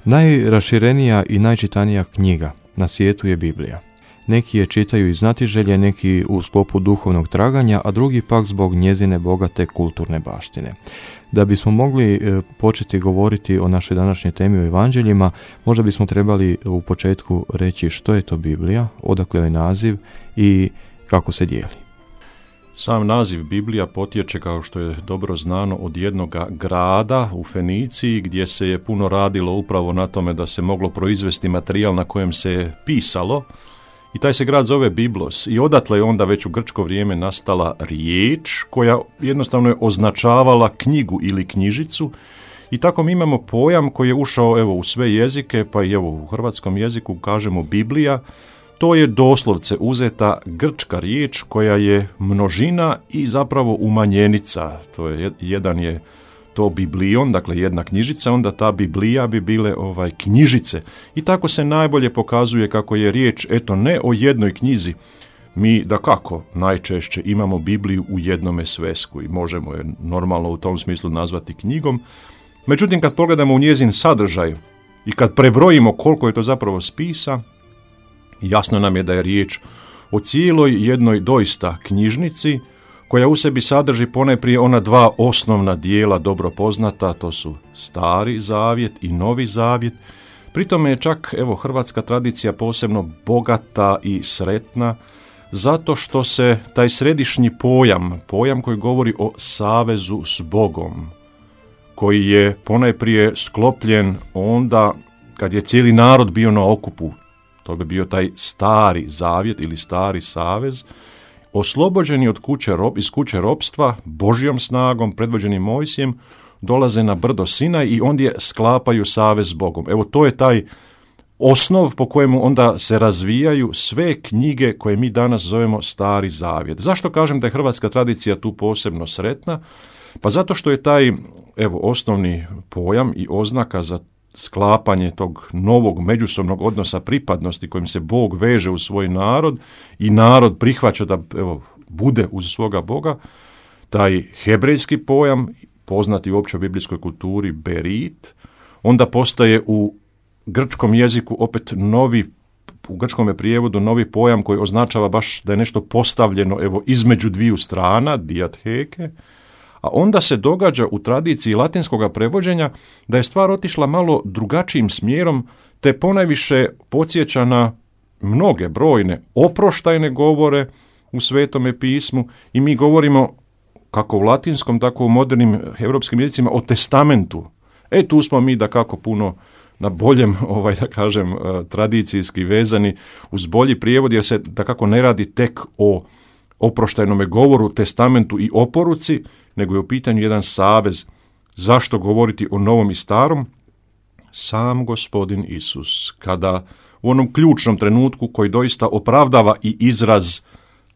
Najraširenija i najčitanija knjiga na svijetu je Biblija. Neki je čitaju iz znatiželje, neki u sklopu duhovnog traganja, a drugi pak zbog njezine bogate kulturne baštine. Da bismo mogli početi govoriti o našoj današnjoj temi o evanđeljima, možda bismo trebali u početku reći što je to Biblija, odakle je naziv i kako se dijeli. Sam naziv Biblija potječe, kao što je dobro znano, od jednog grada u Feniciji gdje se je puno radilo upravo na tome da se moglo proizvesti materijal na kojem se je pisalo. I taj se grad zove Biblos i odatle je onda već u grčko vrijeme nastala riječ koja jednostavno je označavala knjigu ili knjižicu. I tako mi imamo pojam koji je ušao u sve jezike, pa i u hrvatskom jeziku kažemo Biblija. To je doslovce uzeta grčka riječ koja je množina i zapravo umanjenica. To je, jedan je to biblion, dakle jedna knjižica, onda ta Biblija bi bile knjižice. I tako se najbolje pokazuje kako je riječ, ne o jednoj knjizi. Mi dakako najčešće imamo Bibliju u jednome svesku i možemo je normalno u tom smislu nazvati knjigom. Međutim, kad pogledamo u njezin sadržaj i kad prebrojimo koliko je to zapravo spisa, jasno nam je da je riječ o cijeloj jednoj doista knjižnici koja u sebi sadrži ponajprije ona dva osnovna dijela dobro poznata, to su Stari zavjet i Novi zavjet. Pri tome je čak hrvatska tradicija posebno bogata i sretna zato što se taj središnji pojam koji govori o savezu s Bogom, koji je ponajprije sklopljen onda kad je cijeli narod bio na okupu. To bi bio taj Stari zavjet ili Stari savez, oslobođeni iz kuće ropstva, Božjom snagom, predvođeni Mojsijem, dolaze na brdo Sinaj i ondje sklapaju savez s Bogom. To je taj osnov po kojemu onda se razvijaju sve knjige koje mi danas zovemo Stari zavjet. Zašto kažem da je hrvatska tradicija tu posebno sretna? Pa zato što je taj osnovni pojam i oznaka za sklapanje tog novog međusobnog odnosa pripadnosti kojim se Bog veže u svoj narod i narod prihvaća da bude uz svoga Boga, taj hebrejski pojam, poznati u općoj biblijskoj kulturi berit, onda postaje u grčkom jeziku opet novi, u grčkom prijevodu novi pojam koji označava baš da je nešto postavljeno između dviju strana, diatheke. A onda se događa u tradiciji latinskog prevođenja da je stvar otišla malo drugačijim smjerom, te ponajviše podsjeća na mnoge brojne oproštajne govore u Svetome pismu i mi govorimo kako u latinskom, tako u modernim europskim jezicima o testamentu. Tu smo mi dakako puno na boljem, tradicijski vezani uz bolji prijevod, jer se dakako ne radi tek o oproštajnome govoru, testamentu i oporuci, nego je u pitanju jedan savez. Zašto govoriti o novom i starom? Sam Gospodin Isus, kada u onom ključnom trenutku koji doista opravdava i izraz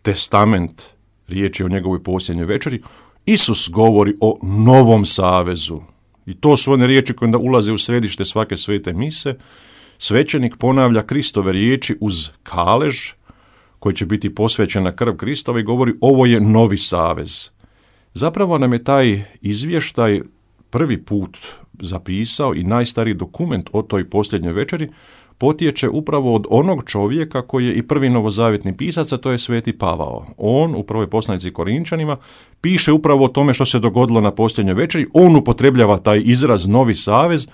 testament, riječ je o njegovoj posljednjoj večeri, Isus govori o novom savezu. I to su one riječi koje onda ulaze u središte svake svete mise. Svećenik ponavlja Kristove riječi uz kalež, koji će biti posvećen na krv Kristova i govori ovo je novi savez. Zapravo nam je taj izvještaj prvi put zapisao i najstariji dokument o toj posljednjoj večeri potječe upravo od onog čovjeka koji je i prvi novozavjetni pisac, a to je Sveti Pavao. On u prvoj poslanici Korinčanima piše upravo o tome što se dogodilo na posljednjoj večeri, on upotrebljava taj izraz novi savez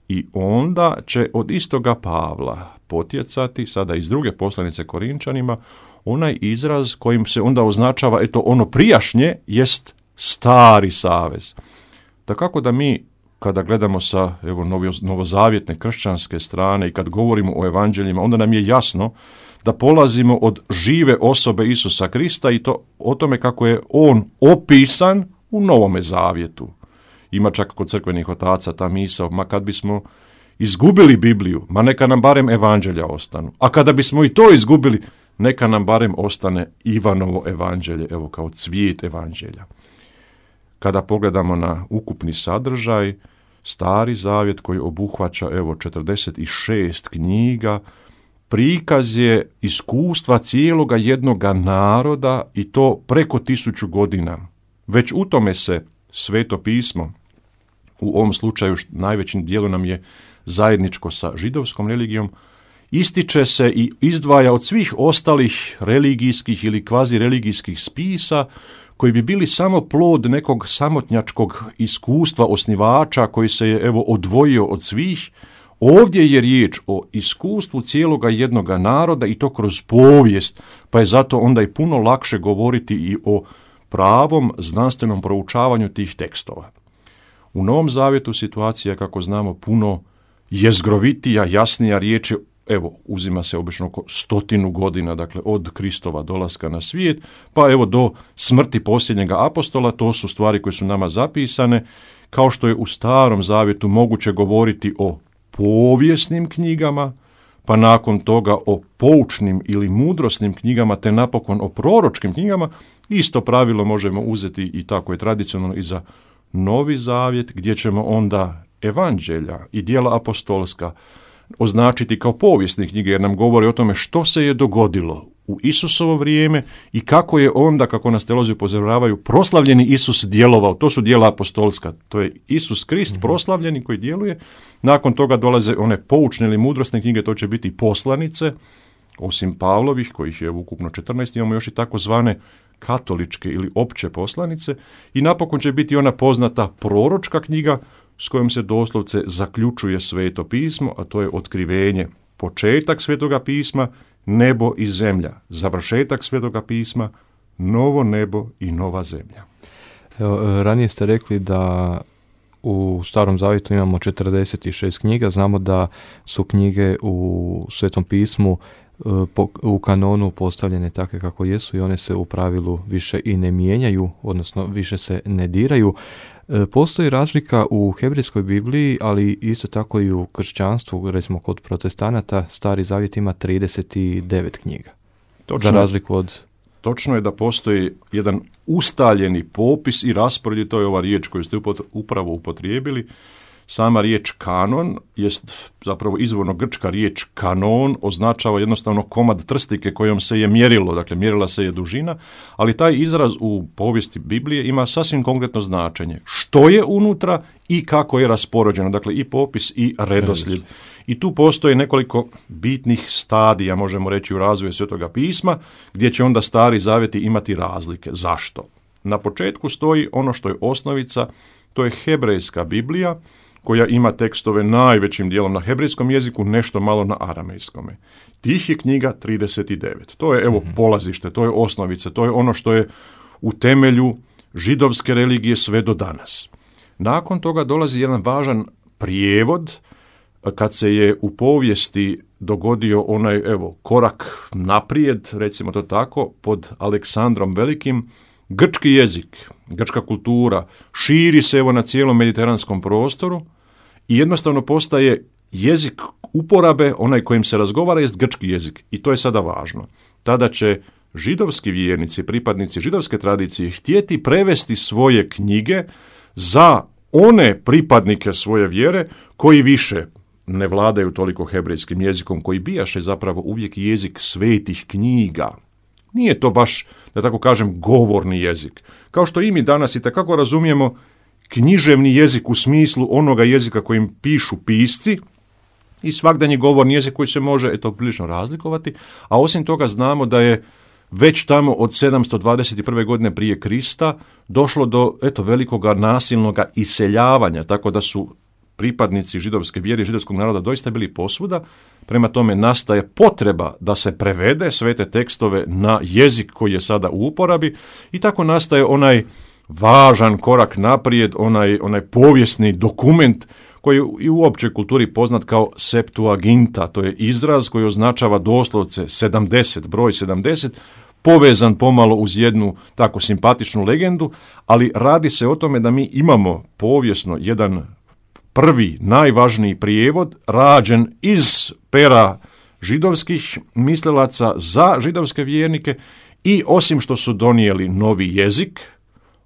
i onda će od istoga Pavla potjecati, sada iz druge poslanice Korinčanima, onaj izraz kojim se onda označava, ono prijašnje jest Stari savez. Dakako da mi, kada gledamo sa novozavjetne kršćanske strane i kad govorimo o evanđeljima, onda nam je jasno da polazimo od žive osobe Isusa Krista i to o tome kako je on opisan u Novome zavjetu. Ima čak kod crkvenih otaca ta misao, ma kad bismo izgubili Bibliju, ma neka nam barem evanđelja ostanu. A kada bismo i to izgubili, neka nam barem ostane Ivanovo evanđelje, kao cvijet evanđelja. Kada pogledamo na ukupni sadržaj, Stari zavjet koji obuhvaća 46 knjiga, prikaz je iskustva cijeloga jednoga naroda i to preko 1000 godina. Već u tome se Sveto pismo, u ovom slučaju najvećim dijelu nam je zajedničko sa židovskom religijom, ističe se i izdvaja od svih ostalih religijskih ili kvazi-religijskih spisa koji bi bili samo plod nekog samotnjačkog iskustva osnivača koji se je odvojio od svih. Ovdje je riječ o iskustvu cijeloga jednoga naroda i to kroz povijest, pa je zato onda i puno lakše govoriti i o pravom znanstvenom proučavanju tih tekstova. U Novom Zavjetu situacija, kako znamo, puno jezgrovitija, jasnija riječ je, uzima se obično oko 100 godina, dakle od Kristova dolaska na svijet, pa do smrti posljednjega apostola, to su stvari koje su nama zapisane, kao što je u Starom Zavjetu moguće govoriti o povijesnim knjigama, pa nakon toga o poučnim ili mudrosnim knjigama, te napokon o proročkim knjigama. Isto pravilo možemo uzeti i tako je tradicionalno i za Novi Zavjet, gdje ćemo onda evanđelja i djela apostolska označiti kao povijesne knjige, jer nam govore o tome što se je dogodilo u Isusovo vrijeme i kako je onda, kako nas teolozi upozoravaju, proslavljeni Isus djelovao. To su djela apostolska, to je Isus Krist proslavljeni koji djeluje. Nakon toga dolaze one poučne ili mudrosne knjige, to će biti poslanice, osim Pavlovih, kojih je ukupno 14, imamo još i takozvane katoličke ili opće poslanice, i napokon će biti ona poznata proročka knjiga s kojom se doslovce zaključuje Sveto pismo, a to je otkrivenje, početak Svetoga pisma, nebo i zemlja, završetak Svetoga pisma, novo nebo i nova zemlja. Ranije ste rekli da u Starom Zavjetu imamo 46 knjiga, znamo da su knjige u Svetom pismu u kanonu postavljene takve kako jesu i one se u pravilu više i ne mijenjaju, odnosno više se ne diraju. Postoji razlika u hebrejskoj Bibliji, ali isto tako i u kršćanstvu, recimo kod protestanata, Stari Zavjet ima 39 knjiga. Točno, za razliku od... Točno je da postoji jedan ustaljeni popis i raspored, to je ova riječ koju ste upravo upotrijebili. Sama riječ kanon jest zapravo izvorno grčka riječ kanon, označava jednostavno komad trstike kojom se je mjerilo, dakle mjerila se je dužina, ali taj izraz u povijesti Biblije ima sasvim konkretno značenje. Što je unutra i kako je raspoređeno, dakle i popis i redoslijed. I tu postoje nekoliko bitnih stadija, možemo reći, u razvoju Svetoga pisma, gdje će onda Stari Zavjeti imati razlike. Zašto? Na početku stoji ono što je osnovica, to je hebrejska Biblija, koja ima tekstove najvećim dijelom na hebrejskom jeziku, nešto malo na aramejskome. Tih je knjiga 39. To je polazište, to je osnovica, to je ono što je u temelju židovske religije sve do danas. Nakon toga dolazi jedan važan prijevod, kad se je u povijesti dogodio onaj korak naprijed, recimo to tako, pod Aleksandrom Velikim, grčki jezik, grčka kultura širi se na cijelom mediteranskom prostoru i jednostavno postaje jezik uporabe, onaj kojim se razgovara jest grčki jezik. I to je sada važno. Tada će židovski vjernici, pripadnici židovske tradicije htjeti prevesti svoje knjige za one pripadnike svoje vjere koji više ne vladaju toliko hebrejskim jezikom, koji bijaše zapravo uvijek jezik svetih knjiga. Nije to baš, da tako kažem, govorni jezik. Kao što i mi danas itekako razumijemo književni jezik u smislu onoga jezika kojim pišu pisci i svakdanji govorni jezik koji se može prilično razlikovati, a osim toga znamo da je već tamo od 721. godine prije Krista došlo do velikoga nasilnoga iseljavanja, tako da su pripadnici židovske vjere i židovskog naroda doista bili posvuda. Prema tome nastaje potreba da se prevede sve te tekstove na jezik koji je sada u uporabi i tako nastaje onaj važan korak naprijed, onaj povijesni dokument koji je i u općoj kulturi poznat kao Septuaginta. To je izraz koji označava doslovce 70, broj 70, povezan pomalo uz jednu tako simpatičnu legendu, ali radi se o tome da mi imamo povijesno jedan prvi, najvažniji prijevod rađen iz pera židovskih mislilaca za židovske vjernike i osim što su donijeli novi jezik,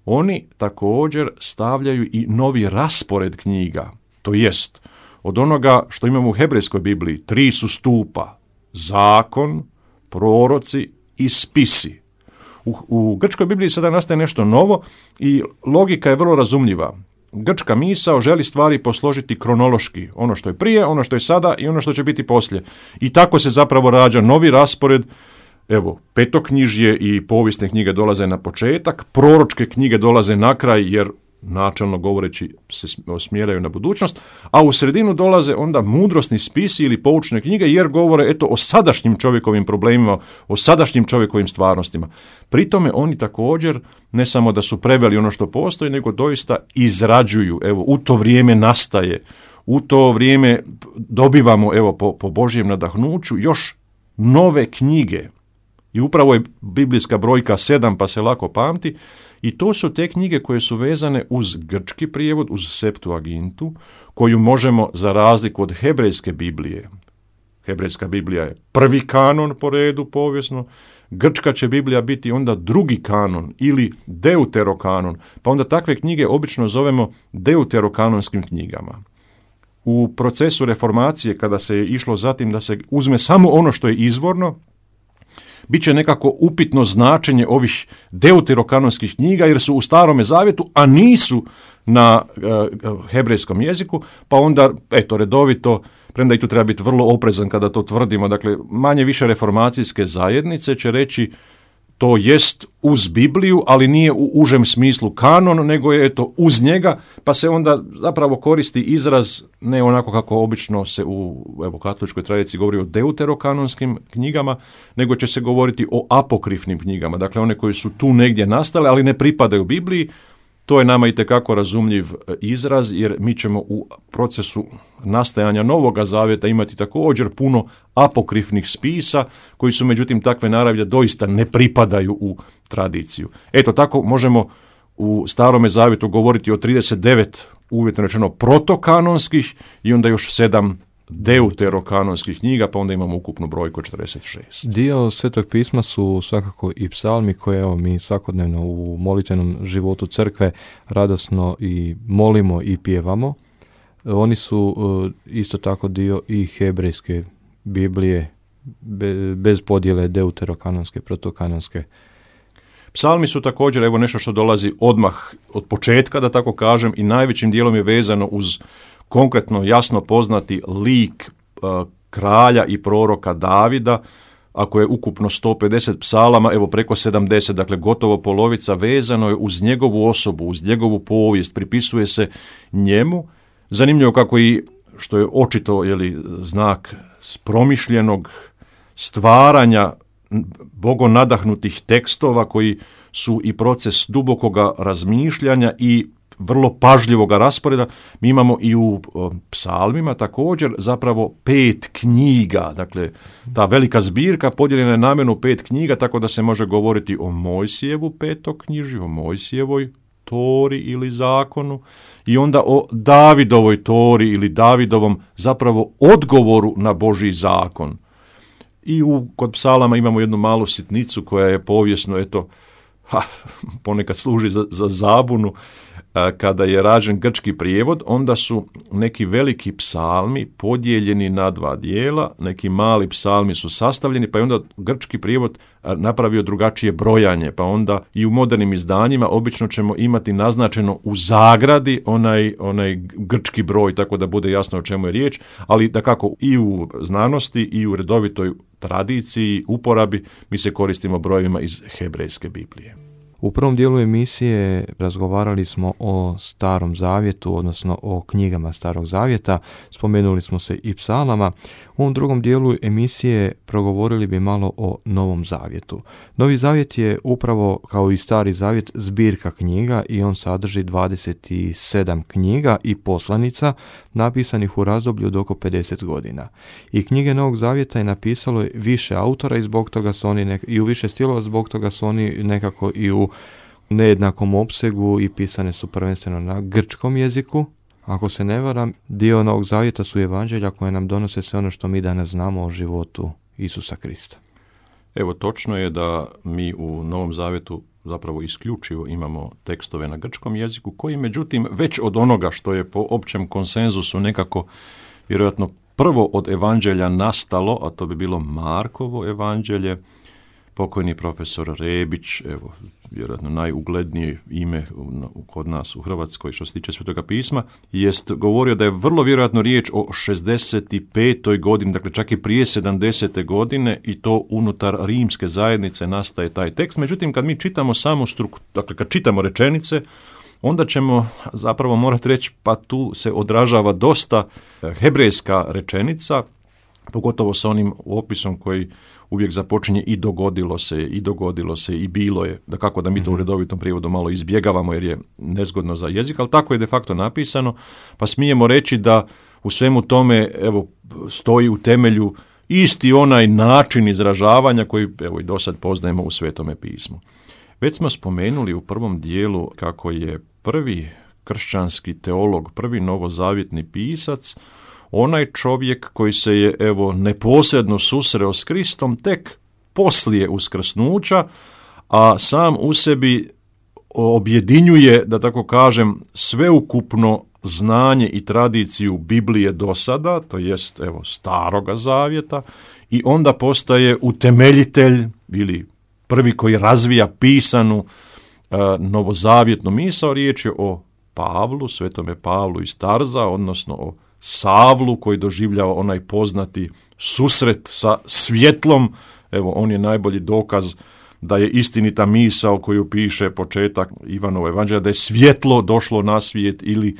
oni također stavljaju i novi raspored knjiga. To jest, od onoga što imamo u hebrejskoj Bibliji, 3 su stupa, zakon, proroci i spisi. U grčkoj Bibliji sada nastaje nešto novo i logika je vrlo razumljiva. grčka misao želi stvari posložiti kronološki. Ono što je prije, ono što je sada i ono što će biti poslije. I tako se zapravo rađa novi raspored. Evo, petoknjižje i povijesne knjige dolaze na početak, proročke knjige dolaze na kraj jer načelno govoreći se osmjeraju na budućnost, a u sredinu dolaze onda mudrosni spisi ili poučne knjige jer govore o sadašnjim čovjekovim problemima, o sadašnjim čovjekovim stvarnostima. Pri tome oni također ne samo da su preveli ono što postoji, nego doista izrađuju. Evo, u to vrijeme nastaje, u to vrijeme dobivamo po Božjem nadahnuću još nove knjige. I upravo je biblijska brojka 7 pa se lako pamti. I to su te knjige koje su vezane uz grčki prijevod, uz Septuagintu, koju možemo za razliku od hebrejske Biblije. Hebrejska Biblija je prvi kanon po redu povijesno, grčka će Biblija biti onda drugi kanon ili deuterokanon, pa onda takve knjige obično zovemo deuterokanonskim knjigama. U procesu reformacije, kada se je išlo zatim da se uzme samo ono što je izvorno, bit će nekako upitno značenje ovih deuterokanonskih knjiga jer su u Starome zavjetu, a nisu na hebrejskom jeziku, pa onda, redovito, premda i tu treba biti vrlo oprezan kada to tvrdimo, dakle, manje više reformacijske zajednice će reći to jest uz Bibliju, ali nije u užem smislu kanon, nego je uz njega, pa se onda zapravo koristi izraz ne onako kako obično se u katoličkoj tradiciji govori o deuterokanonskim knjigama, nego će se govoriti o apokrifnim knjigama, dakle one koje su tu negdje nastale, ali ne pripadaju Bibliji. To je nama itekako razumljiv izraz, jer mi ćemo u procesu nastajanja Novoga zavjeta imati također puno apokrifnih spisa, koji su međutim takve naravi da doista ne pripadaju u tradiciju. Eto, tako možemo u Starome zavjetu govoriti o 39, uvjetno rečeno, protokanonskih i onda još 7 deuterokanonskih knjiga, pa onda imamo ukupnu brojku 46. Dio Svetog pisma su svakako i psalmi koje mi svakodnevno u molitvenom životu crkve radosno i molimo i pjevamo. Oni su isto tako dio i hebrejske Biblije, bez podjele deuterokanonske, protokanonske. Psalmi su također nešto što dolazi odmah od početka, da tako kažem, i najvećim dijelom je vezano uz konkretno jasno poznati lik kralja i proroka Davida. Ako je ukupno 150 psalama, preko 70, dakle gotovo polovica, vezano je uz njegovu osobu, uz njegovu povijest, pripisuje se njemu. Zanimljivo kako i, što je očito znak promišljenog stvaranja bogonadahnutih tekstova koji su i proces dubokoga razmišljanja i vrlo pažljivoga rasporeda. Mi imamo i u psalmima također zapravo 5 knjiga, dakle ta velika zbirka podijeljena je namjerno u 5 knjiga, tako da se može govoriti o Mojsijevu petoknjižju, o Mojsijevoj Tori ili zakonu i onda o Davidovoj Tori ili Davidovom zapravo odgovoru na Božji zakon. I kod psalama imamo jednu malu sitnicu koja je povijesno, ponekad služi za zabunu. Kada je rađen grčki prijevod, onda su neki veliki psalmi podijeljeni na 2 dijela, neki mali psalmi su sastavljeni, pa je onda grčki prijevod napravio drugačije brojanje, pa onda i u modernim izdanjima obično ćemo imati naznačeno u zagradi onaj grčki broj, tako da bude jasno o čemu je riječ, ali dakako i u znanosti i u redovitoj tradiciji, uporabi, mi se koristimo brojevima iz hebrejske Biblije. U prvom dijelu emisije razgovarali smo o Starom zavjetu, odnosno o knjigama Starog zavjeta, spomenuli smo se i psalama. U ovom drugom dijelu emisije progovorili bi malo o Novom zavjetu. Novi zavjet je upravo kao i Stari zavjet zbirka knjiga i on sadrži 27 knjiga i poslanica napisanih u razdoblju od oko 50 godina. I knjige Novog zavjeta je napisalo više autora i zbog toga su oni i u više stilova, zbog toga su oni nekako i u nejednakom opsegu i pisane su prvenstveno na grčkom jeziku. Ako se ne varam, dio Novog zavjeta su evanđelja koje nam donose sve ono što mi danas znamo o životu Isusa Krista. Točno je da mi u Novom zavjetu zapravo isključivo imamo tekstove na grčkom jeziku, koji međutim već od onoga što je po općem konsenzusu nekako vjerojatno prvo od evanđelja nastalo, a to bi bilo Markovo evanđelje, pokojni profesor Rebić, evo, vjerojatno najuglednije ime kod nas u Hrvatskoj što se tiče Svetoga pisma, jest govorio da je vrlo vjerojatno riječ o 65. godini, dakle čak i prije 70. godine, i to unutar rimske zajednice nastaje taj tekst. Međutim, kad mi čitamo samu dakle kad čitamo rečenice, onda ćemo zapravo morati reći, pa tu se odražava dosta hebrejska rečenica, pogotovo sa onim opisom koji uvijek započinje i dogodilo se i bilo je, da kako da mi to u redovitom prijevodu malo izbjegavamo jer je nezgodno za jezik, ali tako je de facto napisano, pa smijemo reći da u svemu tome evo stoji u temelju isti onaj način izražavanja koji evo i do sad poznajemo u Svetome pismu. Već smo spomenuli u prvom dijelu kako je prvi kršćanski teolog, prvi novozavjetni pisac, onaj čovjek koji se je evo neposredno susreo s Kristom tek poslije uskrsnuća, a sam u sebi objedinjuje, da tako kažem, sveukupno znanje i tradiciju Biblije do sada, to jest evo Staroga zavjeta, i onda postaje utemeljitelj ili prvi koji razvija pisanu novozavjetnu misao. Riječ je o Pavlu, svetome Pavlu iz Tarza, odnosno o Savlu koji doživljava onaj poznati susret sa svjetlom. Evo, on je najbolji dokaz da je istinita misao koju piše početak Ivanova evanđelja, da je svjetlo došlo na svijet, ili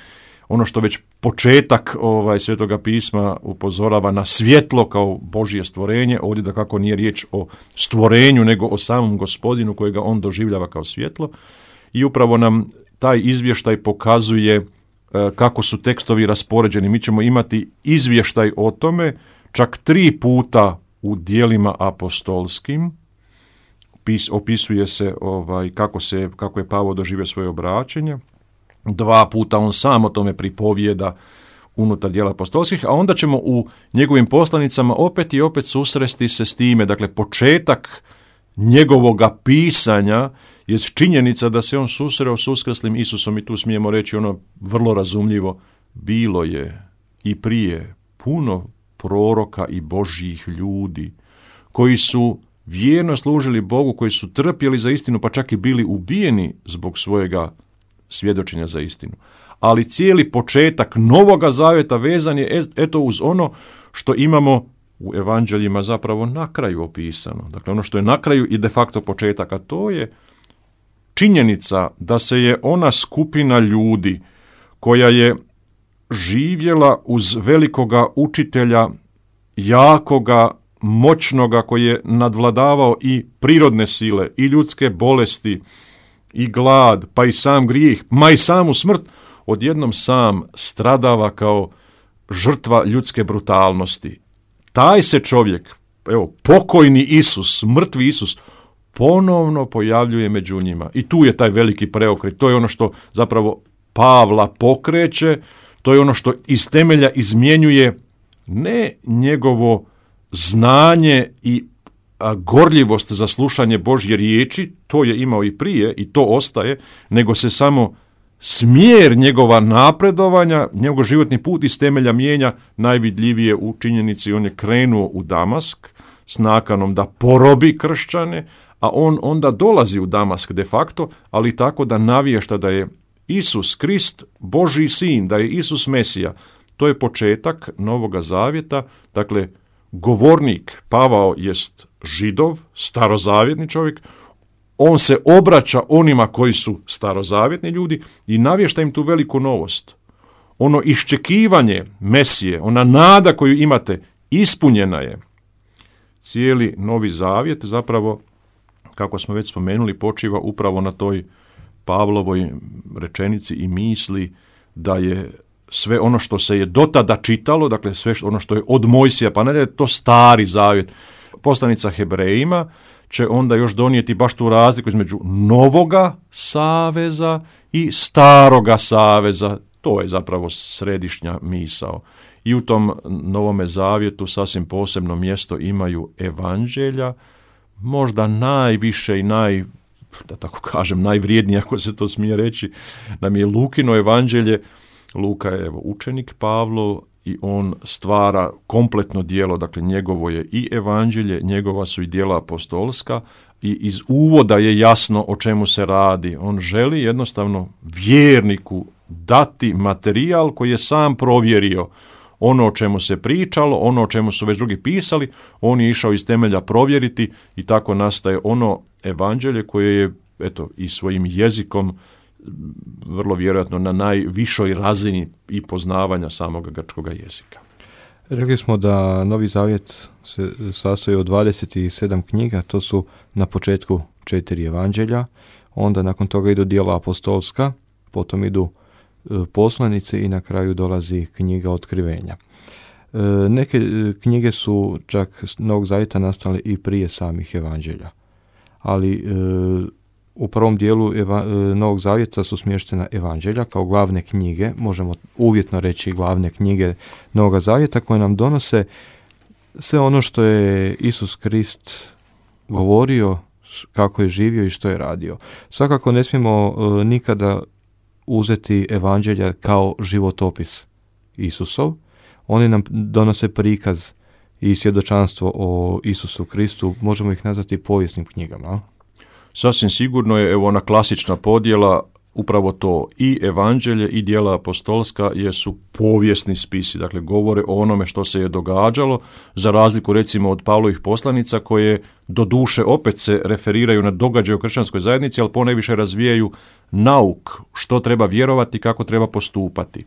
ono što već početak Svetoga pisma upozorava na svjetlo kao Božje stvorenje. Ovdje da kako nije riječ o stvorenju, nego o samom Gospodinu kojega on doživljava kao svjetlo. I upravo nam taj izvještaj pokazuje kako su tekstovi raspoređeni. Mi ćemo imati izvještaj o tome čak 3 puta u dijelima apostolskim. Opisuje se kako je Pavao doživio svoje obraćenje. 2 puta on sam o tome pripovijeda unutar dijela apostolskih, a onda ćemo u njegovim poslanicama opet i opet susresti se s time. Dakle, početak njegovoga pisanja je činjenica da se on susreo s uskrslim Isusom, i tu smijemo reći ono vrlo razumljivo: bilo je i prije puno proroka i Božjih ljudi koji su vjerno služili Bogu, koji su trpjeli za istinu, pa čak i bili ubijeni zbog svojega svjedočenja za istinu. Ali cijeli početak Novoga zavjeta vezan je eto uz ono što imamo u evanđeljima zapravo na kraju opisano. Dakle, ono što je na kraju i de facto početak, a to je činjenica da se je ona skupina ljudi koja je živjela uz velikoga učitelja, jakoga, moćnoga, koji je nadvladavao i prirodne sile, i ljudske bolesti, i glad, pa i sam grijeh, ma i samu smrt, odjednom sam stradava kao žrtva ljudske brutalnosti. Taj se čovjek, evo, pokojni Isus, mrtvi Isus, ponovno pojavljuje među njima. I tu je taj veliki preokret. To je ono što zapravo Pavla pokreće, to je ono što iz temelja izmjenjuje ne njegovo znanje i gorljivost za slušanje Božje riječi, to je imao i prije i to ostaje, nego se samo smjer njegova napredovanja, njegov životni put iz temelja mijenja najvidljivije u činjenici. On je krenuo u Damask s nakanom da porobi kršćane, a on onda dolazi u Damask de facto, ali tako da navješta da je Isus Krist Božji sin, da je Isus Mesija. To je početak Novoga zavjeta. Dakle, govornik Pavao jest Židov, starozavjetni čovjek. On se obraća onima koji su starozavjetni ljudi i navješta im tu veliku novost. Ono iščekivanje Mesije, ona nada koju imate, ispunjena je. Cijeli Novi zavjet zapravo, kako smo već spomenuli, počiva upravo na toj Pavlovoj rečenici i misli da je sve ono što se je do tada čitalo, dakle sve ono što je od Mojsija pa nadalje, to Stari zavjet. Poslanica Hebrejima će onda još donijeti baš tu razliku između Novoga saveza i Staroga saveza. To je zapravo središnja misao. I u tom Novome zavjetu sasvim posebno mjesto imaju evanđelja, možda najviše i da tako kažem, najvrijednije, ako se to smije reći, nam je Lukino evanđelje. Luka je učenik Pavlov i on stvara kompletno djelo, dakle njegovo je i evanđelje, njegova su i djela apostolska i iz uvoda je jasno o čemu se radi. On želi jednostavno vjerniku dati materijal koji je sam provjerio. Ono o čemu se pričalo, ono o čemu su već drugi pisali, on je išao iz temelja provjeriti i tako nastaje ono evanđelje koje je i svojim jezikom vrlo vjerojatno na najvišoj razini i poznavanja samog grčkog jezika. Rekli smo da Novi Zavjet se sastoji od 27 knjiga, to su na početku 4 evanđelja, onda nakon toga idu djela apostolska, potom idu poslanice i na kraju dolazi knjiga Otkrivenja. Neke knjige su čak Novog Zavjeta nastale i prije samih evanđelja, ali u prvom dijelu Novog Zavjeta su smještena evanđelja kao glavne knjige, možemo uvjetno reći glavne knjige Novog Zavjeta koje nam donose sve ono što je Isus Krist govorio, kako je živio i što je radio. Svakako ne smijemo nikada uzeti evanđelja kao životopis Isusov. Oni nam donose prikaz i svjedočanstvo o Isusu Kristu, možemo ih nazvati povijesnim knjigama. Sasvim sigurno je ona klasična podjela, upravo to i evanđelje i djela apostolska jesu povijesni spisi, dakle govore o onome što se je događalo, za razliku recimo od Pavlovih poslanica koje doduše opet se referiraju na događaje u kršćanskoj zajednici, ali ponajviše razvijaju nauk, što treba vjerovati, kako treba postupati.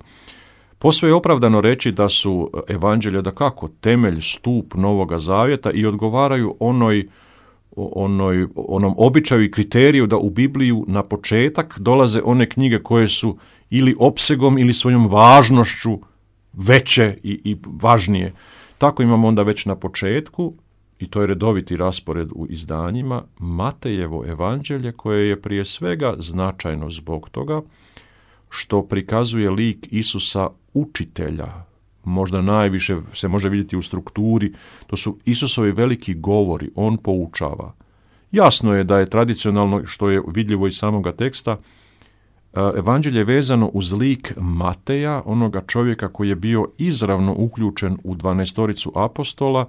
Posve je opravdano reći da su evanđelja dakako temelj, stup Novoga Zavjeta i odgovaraju onom običaju i kriteriju da u Bibliju na početak dolaze one knjige koje su ili opsegom ili svojom važnošću veće i važnije. Tako imamo onda već na početku, i to je redoviti raspored u izdanjima, Matejevo evanđelje koje je prije svega značajno zbog toga što prikazuje lik Isusa učitelja. Možda najviše se može vidjeti u strukturi, to su Isusovi veliki govori, on poučava. Jasno je da je tradicionalno, što je vidljivo iz samoga teksta, evanđelje vezano uz lik Mateja, onoga čovjeka koji je bio izravno uključen u 12 apostola.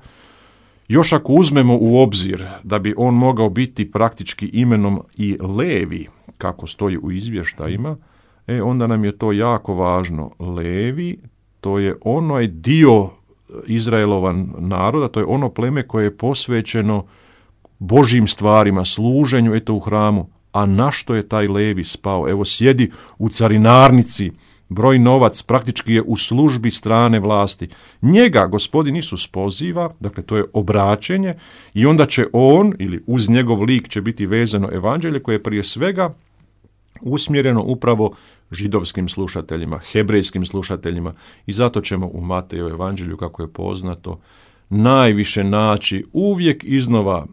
Još ako uzmemo u obzir da bi on mogao biti praktički imenom i Levi, kako stoji u izvještajima, onda nam je to jako važno. Levi, to je onaj dio Izraelova naroda, to je ono pleme koje je posvećeno Božjim stvarima, služenju u hramu. A na što je taj Levi spao? Evo sjedi u carinarnici, broj novac, praktički je u službi strane vlasti. Njega Gospodin Isus poziva, dakle to je obraćenje, i onda će on, ili uz njegov lik će biti vezano evanđelje koje je prije svega usmjereno upravo židovskim slušateljima, hebrejskim slušateljima, i zato ćemo u Mateju evanđelju, kako je poznato, najviše naći uvijek iznova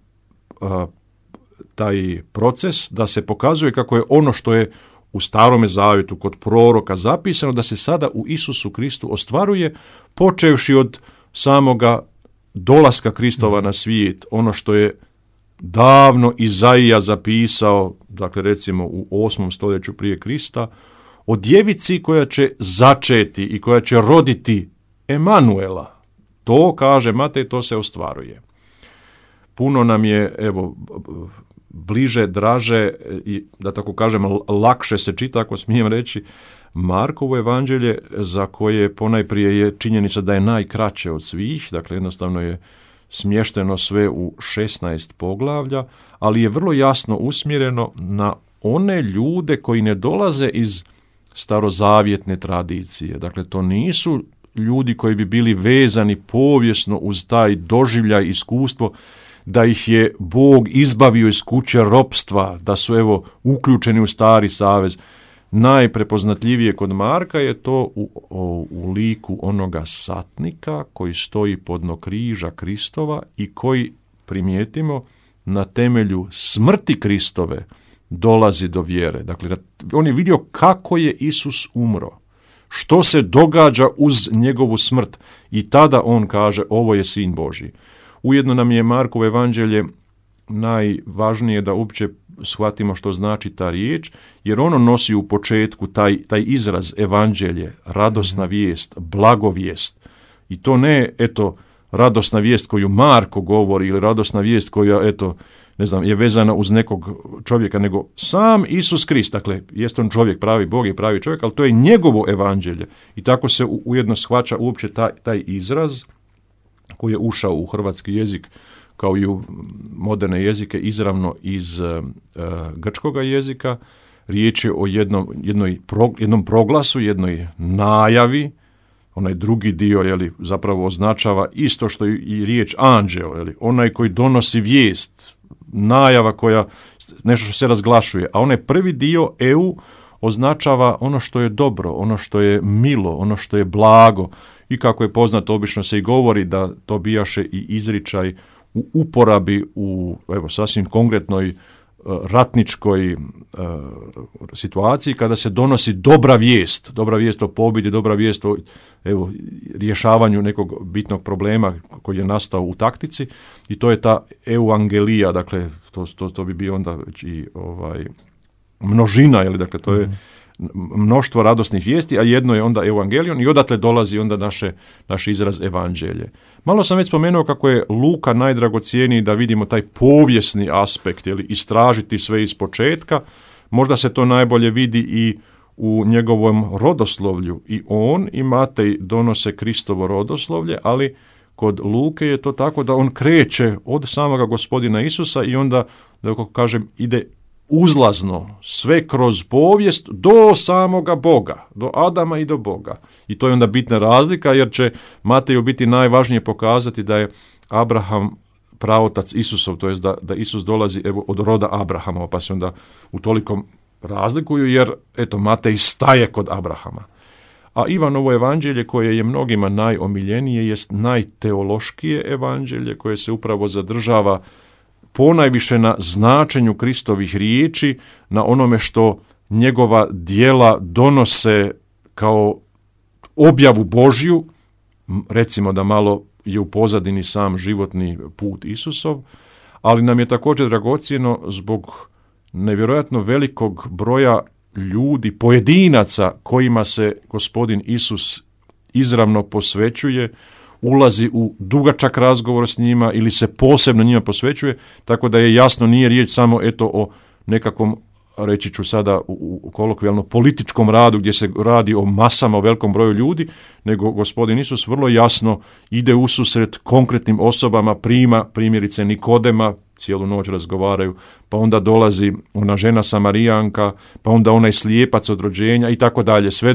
taj proces da se pokazuje kako je ono što je u Starome Zavjetu kod proroka zapisano, da se sada u Isusu Kristu ostvaruje, počevši od samoga dolaska Kristova na svijet, ono što je davno Izaija zapisao, dakle recimo u 8. stoljeću prije Krista, o djevici koja će začeti i koja će roditi Emanuela. To, kaže Matej, to se ostvaruje. Puno nam je, bliže, draže i, da tako kažem, lakše se čita, ako smijem reći, Markovo evanđelje, za koje ponajprije je činjenica da je najkraće od svih, dakle jednostavno je smješteno sve u 16 poglavlja, ali je vrlo jasno usmjereno na one ljude koji ne dolaze iz starozavjetne tradicije. Dakle, to nisu ljudi koji bi bili vezani povijesno uz taj doživljaj, iskustvo, da ih je Bog izbavio iz kuće ropstva, da su uključeni u Stari savez. Najprepoznatljivije kod Marka je to u liku onoga satnika koji stoji podno križa Kristova i koji, primijetimo, na temelju smrti Kristove dolazi do vjere. Dakle, on je vidio kako je Isus umro, što se događa uz njegovu smrt, i tada on kaže, ovo je Sin Božji. Ujedno nam je Markovo evanđelje najvažnije da uopće shvatimo što znači ta riječ, jer ono nosi u početku taj izraz evanđelje, radosna vijest, blagovijest. I to ne, radosna vijest koju Marko govori ili radosna vijest koja, je vezana uz nekog čovjeka, nego sam Isus Krist. Dakle, jest on čovjek, pravi Bog i pravi čovjek, ali to je njegovo evanđelje. I tako se ujedno shvaća uopće taj izraz koji je ušao u hrvatski jezik, kao i u moderne jezike, izravno iz grčkoga jezika. Riječ je o jednom proglasu, jednoj najavi. Onaj drugi dio zapravo označava isto što i riječ anđeo, onaj koji donosi vijest, najava koja, nešto što se razglašuje. A onaj prvi dio EU označava ono što je dobro, ono što je milo, ono što je blago. I kako je poznato, obično se i govori da to bijaše i izričaj u uporabi u sasvim konkretnoj ratničkoj situaciji kada se donosi dobra vijest o pobjedi, dobra vijest o rješavanju nekog bitnog problema koji je nastao u taktici, i to je ta euangelija, dakle to bi bio onda već i množina, dakle to je mnoštvo radosnih vijesti, a jedno je onda evangelion i odatle dolazi onda naš izraz evanđelje. Malo sam već spomenuo kako je Luka najdragocjeniji da vidimo taj povijesni aspekt, istražiti sve iz početka. Možda se to najbolje vidi i u njegovom rodoslovlju. I on i Matej donose Kristovo rodoslovlje, ali kod Luke je to tako da on kreće od samoga Gospodina Isusa i onda, da kako kažem, ide uzlazno, sve kroz povijest do samoga Boga, do Adama i do Boga. I to je onda bitna razlika, jer će Mateju biti najvažnije pokazati da je Abraham praotac Isusov, to jest da Isus dolazi od roda Abrahama, pa se onda u tolikom razlikuju, jer Matej staje kod Abrahama. A Ivanovo evanđelje, koje je mnogima najomiljenije, jest najteološkije evanđelje, koje se upravo zadržava ponajviše na značenju Kristovih riječi, na onome što njegova djela donose kao objavu Božju. Recimo da malo je u pozadini sam životni put Isusov, ali nam je također dragocjeno zbog nevjerojatno velikog broja ljudi, pojedinaca kojima se Gospodin Isus izravno posvećuje, ulazi u dugačak razgovor s njima ili se posebno njima posvećuje, tako da je jasno, nije riječ samo o nekakvom, reći ću sada u kolokvijalno, političkom radu gdje se radi o masama, o velikom broju ljudi, nego Gospodin Isus vrlo jasno ide ususret konkretnim osobama, prima primjerice Nikodema, cijelu noć razgovaraju, pa onda dolazi ona žena Samarijanka, pa onda onaj slijepac od rođenja i tako dalje, sve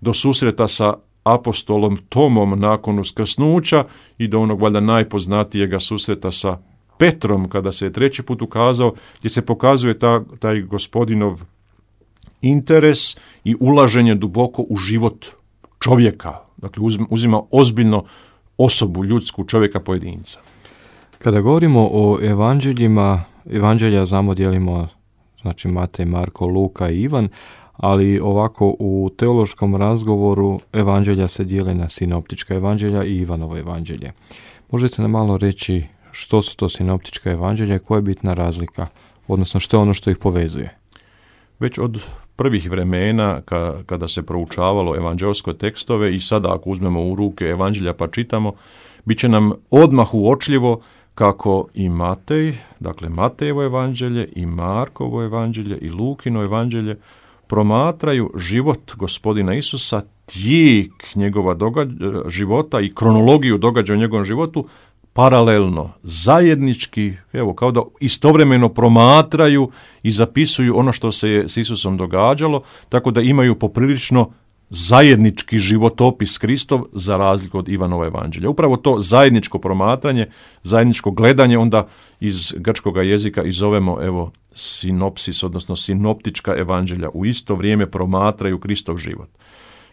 do susreta sa apostolom Tomom nakon uskrsnuća i do onog valjda najpoznatijega susreta sa Petrom kada se je treći put ukazao, gdje se pokazuje taj Gospodinov interes i ulaženje duboko u život čovjeka. Dakle, uzima ozbiljno osobu, ljudsku, čovjeka, pojedinca. Kada govorimo o evanđeljima, evanđelja znamo dijelimo, znači Matej, Marko, Luka i Ivan, ali ovako u teološkom razgovoru evanđelja se dijele na sinoptička evanđelja i Ivanovo evanđelje. Možete nam malo reći što su to sinoptička evanđelja i koja je bitna razlika, odnosno što je ono što ih povezuje? Već od prvih vremena kada se proučavalo evanđelske tekstove i sada ako uzmemo u ruke evanđelja pa čitamo, bit će nam odmah uočljivo kako i Matej, dakle Matejevo evanđelje i Markovo evanđelje i Lukino evanđelje promatraju život Gospodina Isusa, tijek njegova života i kronologiju događaja u njegovom životu paralelno, zajednički, kao da istovremeno promatraju i zapisuju ono što se je s Isusom događalo, tako da imaju poprilično zajednički životopis Kristov za razliku od Ivanova evanđelja. Upravo to zajedničko promatranje, zajedničko gledanje onda iz grčkog jezika i zovemo sinopsis, odnosno sinoptička evanđelja. U isto vrijeme promatraju Kristov život.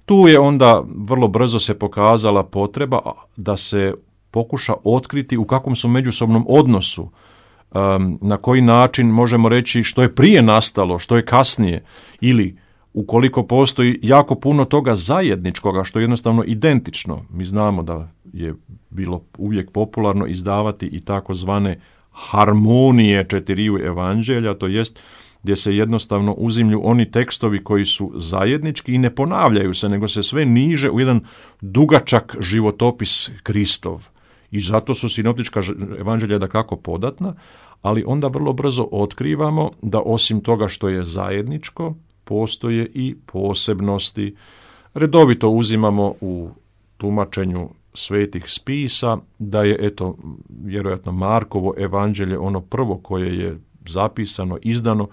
Tu je onda vrlo brzo se pokazala potreba da se pokuša otkriti u kakvom su međusobnom odnosu, na koji način možemo reći što je prije nastalo, što je kasnije, ili ukoliko postoji jako puno toga zajedničkoga, što je jednostavno identično. Mi znamo da je bilo uvijek popularno izdavati i takozvane harmonije četiriju evanđelja, to jest gdje se jednostavno uzimlju oni tekstovi koji su zajednički i ne ponavljaju se, nego se sve niže u jedan dugačak životopis Kristov. I zato su sinoptička evanđelja dakako podatna, ali onda vrlo brzo otkrivamo da osim toga što je zajedničko, postoje i posebnosti. Redovito uzimamo u tumačenju svetih spisa da je, vjerojatno Markovo evanđelje ono prvo koje je zapisano, izdano,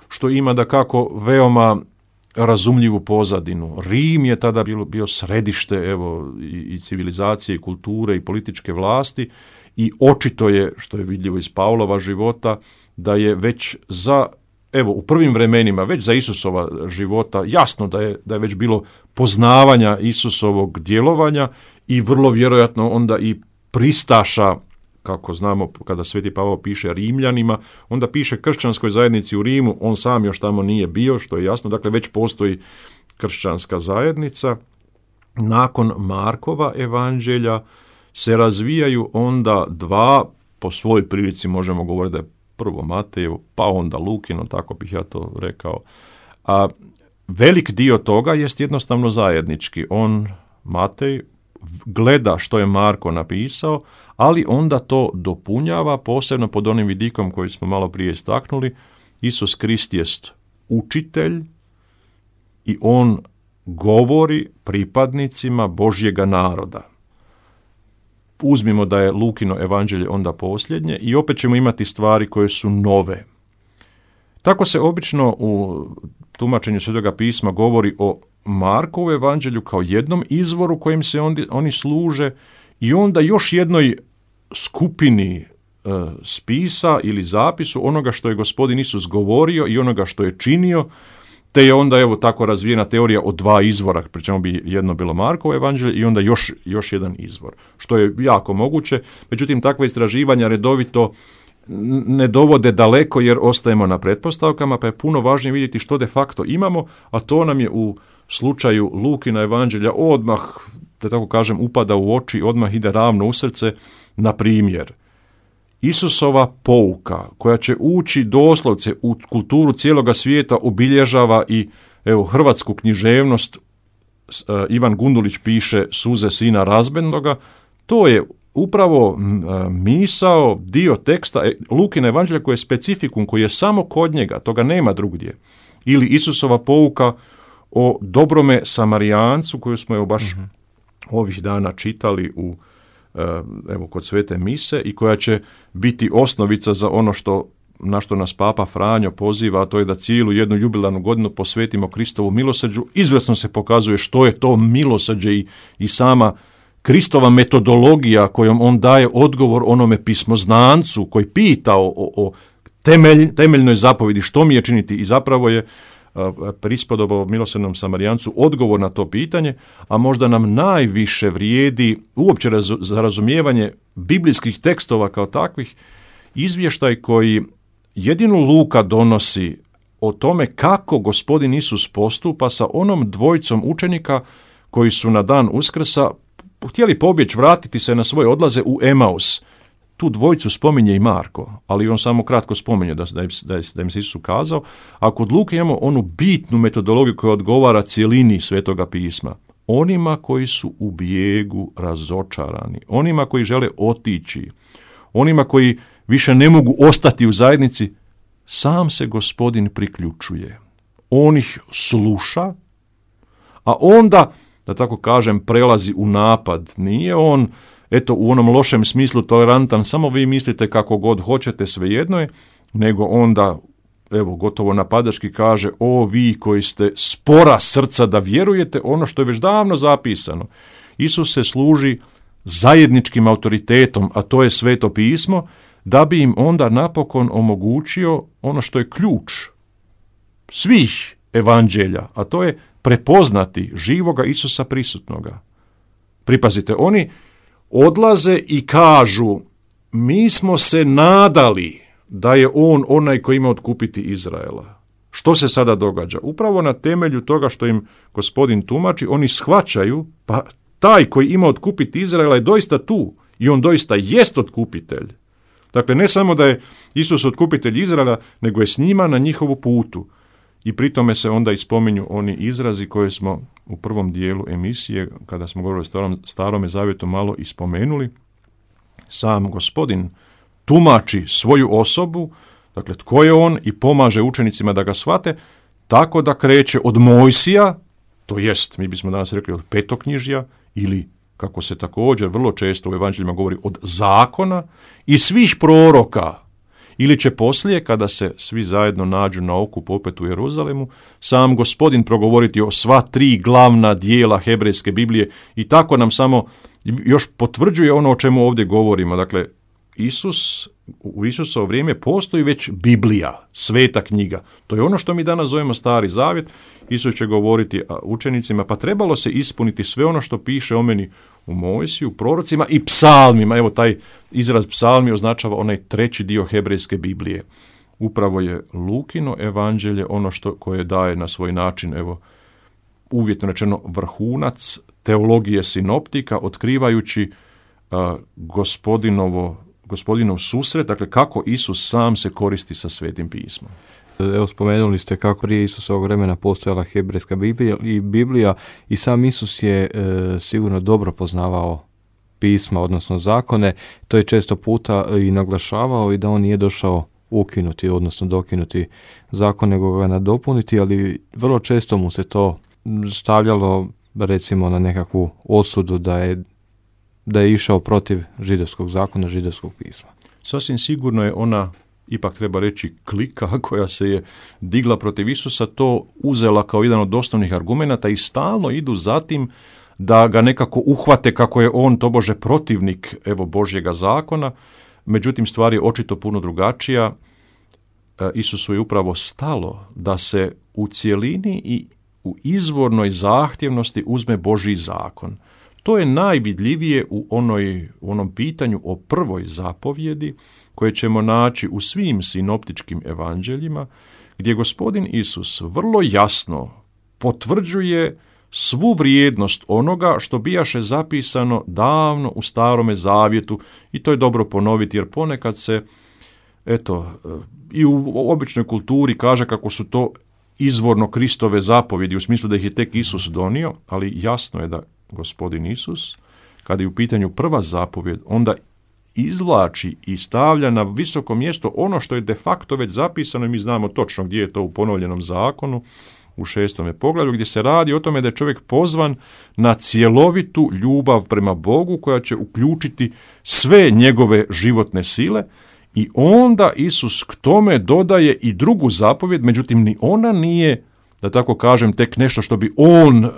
što ima dakako veoma razumljivu pozadinu. Rim je tada bio središte i civilizacije, i kulture, i političke vlasti i očito je, što je vidljivo iz Pavlova života, da je već u prvim vremenima, već za Isusova života, jasno da je već bilo poznavanja Isusovog djelovanja i vrlo vjerojatno onda i pristaša, kako znamo kada Sveti Pavao piše Rimljanima, onda piše kršćanskoj zajednici u Rimu, on sam još tamo nije bio, što je jasno, dakle već postoji kršćanska zajednica. Nakon Markova evanđelja se razvijaju onda dva, po svojoj prilici možemo govoriti da je prvo Matejevo, pa onda Lukino, tako bih ja to rekao. A velik dio toga jest jednostavno zajednički. Matej, gleda što je Marko napisao, ali onda to dopunjava, posebno pod onim vidikom koji smo malo prije istaknuli. Isus Krist jest učitelj i on govori pripadnicima Božjega naroda. Uzmimo da je Lukino evanđelje onda posljednje i opet ćemo imati stvari koje su nove. Tako se obično u tumačenju Svetoga pisma govori o Markovu evanđelju kao jednom izvoru kojim se oni služe i onda još jednoj skupini spisa ili zapisu onoga što je Gospodin Isus govorio i onoga što je činio, te je onda tako razvijena teorija o dva izvora, pri čemu bi jedno bilo Markovo evanđelje i onda još jedan izvor, što je jako moguće. Međutim, takva istraživanja redovito ne dovode daleko jer ostajemo na pretpostavkama, pa je puno važnije vidjeti što de facto imamo, a to nam je u slučaju Lukina evanđelja odmah, da tako kažem, upada u oči, odmah ide ravno u srce. Na primjer, Isusova pouka koja će ući doslovce u kulturu cijeloga svijeta obilježava i hrvatsku književnost. Ivan Gundulić piše Suze sina razbednoga. To je upravo misao, dio teksta Lukina evanđelja koji je specifikum, koji je samo kod njega, toga nema drugdje. Ili Isusova pouka o dobrome Samarijancu koju smo baš ovih dana čitali kod svete mise i koja će biti osnovica za ono na što nas Papa Franjo poziva, a to je da cijelu jednu jubilarnu godinu posvetimo Kristovu milosrđu. Izvrsno se pokazuje što je to milosrđe i sama Kristova metodologija kojom on daje odgovor onome pismoznancu koji pita o temeljnoj zapovjedi što mi je činiti i zapravo je prispodoba milosrdnom Samarijancu odgovor na to pitanje, a možda nam najviše vrijedi uopće za razumijevanje biblijskih tekstova kao takvih izvještaj koji jedino Luka donosi o tome kako Gospodin Isus postupa sa onom dvojicom učenika koji su na dan Uskrsa htjeli pobjeći, vratiti se na svoje odlaze u Emaus. Tu dvojicu spominje i Marko, ali on samo kratko spominje da im se Isus ukazao, a kod Luke imamo onu bitnu metodologiju koja odgovara cijelini Svetoga pisma. Onima koji su u bijegu razočarani, onima koji žele otići, onima koji više ne mogu ostati u zajednici, sam se Gospodin priključuje. On ih sluša, a onda, da tako kažem, prelazi u napad. Nije on u onom lošem smislu tolerantan, samo vi mislite kako god hoćete, svejedno je, nego onda, gotovo napadački kaže, o vi koji ste spora srca da vjerujete ono što je već davno zapisano. Isus se služi zajedničkim autoritetom, a to je Sveto pismo, da bi im onda napokon omogućio ono što je ključ svih evanđelja, a to je prepoznati živoga Isusa prisutnoga. Pripazite, oni odlaze i kažu, mi smo se nadali da je on onaj koji ima otkupiti Izraela. Što se sada događa? Upravo na temelju toga što im Gospodin tumači, oni shvaćaju, pa taj koji ima otkupiti Izraela je doista tu i on doista jest otkupitelj. Dakle, ne samo da je Isus otkupitelj Izraela, nego je s njima na njihovu putu. I pri tome se onda ispominju oni izrazi koje smo u prvom dijelu emisije, kada smo govorili o Starome zavjetu, malo ispomenuli. Sam Gospodin tumači svoju osobu, dakle tko je on, i pomaže učenicima da ga shvate, tako da kreće od Mojsija, to jest, mi bismo danas rekli od petoknjižja, ili kako se također vrlo često u evanđeljima govori, od zakona i svih proroka, ili će poslije, kada se svi zajedno nađu na okupu opet u Jeruzalemu, sam Gospodin progovoriti o sva 3 glavna dijela hebrejske Biblije, i tako nam samo još potvrđuje ono o čemu ovdje govorimo. Dakle, u Isusovo vrijeme postoji već Biblija, sveta knjiga. To je ono što mi danas zovemo Stari zavjet. Isus će govoriti učenicima, pa trebalo se ispuniti sve ono što piše o meni u Mojsiju, prorocima i psalmima. Evo, taj izraz psalmi označava onaj 3. dio hebrejske Biblije. Upravo je Lukino evanđelje ono koje daje na svoj način, evo, uvjetno rečeno, vrhunac teologije sinoptika, otkrivajući Gospodinov susret, dakle kako Isus sam se koristi sa Svetim pismom. Evo, spomenuli ste kako prije Isusovog vremena postojala hebrejska Biblija i sam Isus je sigurno dobro poznavao pisma, odnosno zakone. To je često puta i naglašavao, i da on nije došao ukinuti, odnosno dokinuti zakon, nego ga nadopuniti, ali vrlo često mu se to stavljalo, recimo, na nekakvu osudu da je išao protiv židovskog zakona, židovskog pisma. Sasvim sigurno je ona, ipak treba reći, klika koja se je digla protiv Isusa, to uzela kao jedan od osnovnih argumenata i stalno idu za tim da ga nekako uhvate kako je on tobože protivnik, evo, Božjega zakona. Međutim, stvar je očito puno drugačija. Isusu je upravo stalo da se u cjelini i u izvornoj zahtjevnosti uzme Božji zakon. To je najvidljivije u onom pitanju o prvoj zapovjedi koje ćemo naći u svim sinoptičkim evanđeljima, gdje Gospodin Isus vrlo jasno potvrđuje svu vrijednost onoga što bijaše zapisano davno u Starome zavjetu, i to je dobro ponoviti, jer ponekad se, i u običnoj kulturi kaže kako su to izvorno Kristove zapovjedi, u smislu da ih je tek Isus donio, ali jasno je da Gospodin Isus, kada je u pitanju prva zapovjed, onda izvlači i stavlja na visoko mjesto ono što je de facto već zapisano, i mi znamo točno gdje je to u ponovljenom zakonu, u 6. poglavlju, gdje se radi o tome da je čovjek pozvan na cjelovitu ljubav prema Bogu koja će uključiti sve njegove životne sile, i onda Isus k tome dodaje i drugu zapovjed, međutim ni ona nije, da tako kažem, tek nešto što bi on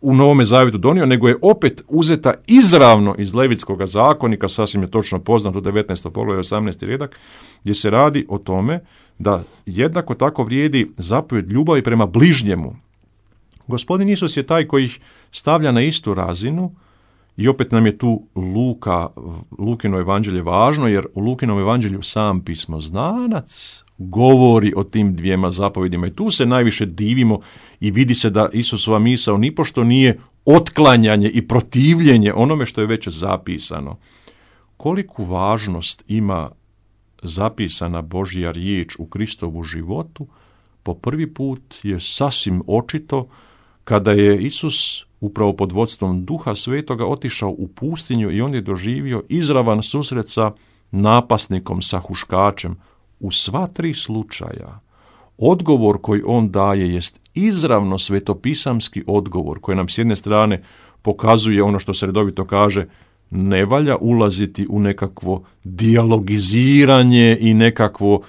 u Novome zavjetu donio, nego je opet uzeta izravno iz Levitskog zakonika, sasvim je točno poznato, 19. poglavlje 18. redak, gdje se radi o tome da jednako tako vrijedi zapovjed ljubavi prema bližnjemu. Gospodin Isus je taj koji ih stavlja na istu razinu, i opet nam je tu Lukino evanđelje važno, jer u Lukinom evanđelju sam pismoznanac govori o tim dvijema zapovjedima, i tu se najviše divimo i vidi se da Isusova misao nipošto nije otklanjanje i protivljenje onome što je već zapisano. Koliku važnost ima zapisana Božja riječ u Kristovu životu, po prvi put je sasvim očito kada je Isus upravo pod vodstvom Duha Svetoga otišao u pustinju i on je doživio izravan susret sa napasnikom, sa huškačem. U sva 3 slučaja odgovor koji on daje jest izravno svetopisamski odgovor, koji nam s jedne strane pokazuje ono što se redovito kaže, ne valja ulaziti u nekakvo dijalogiziranje i nekakvo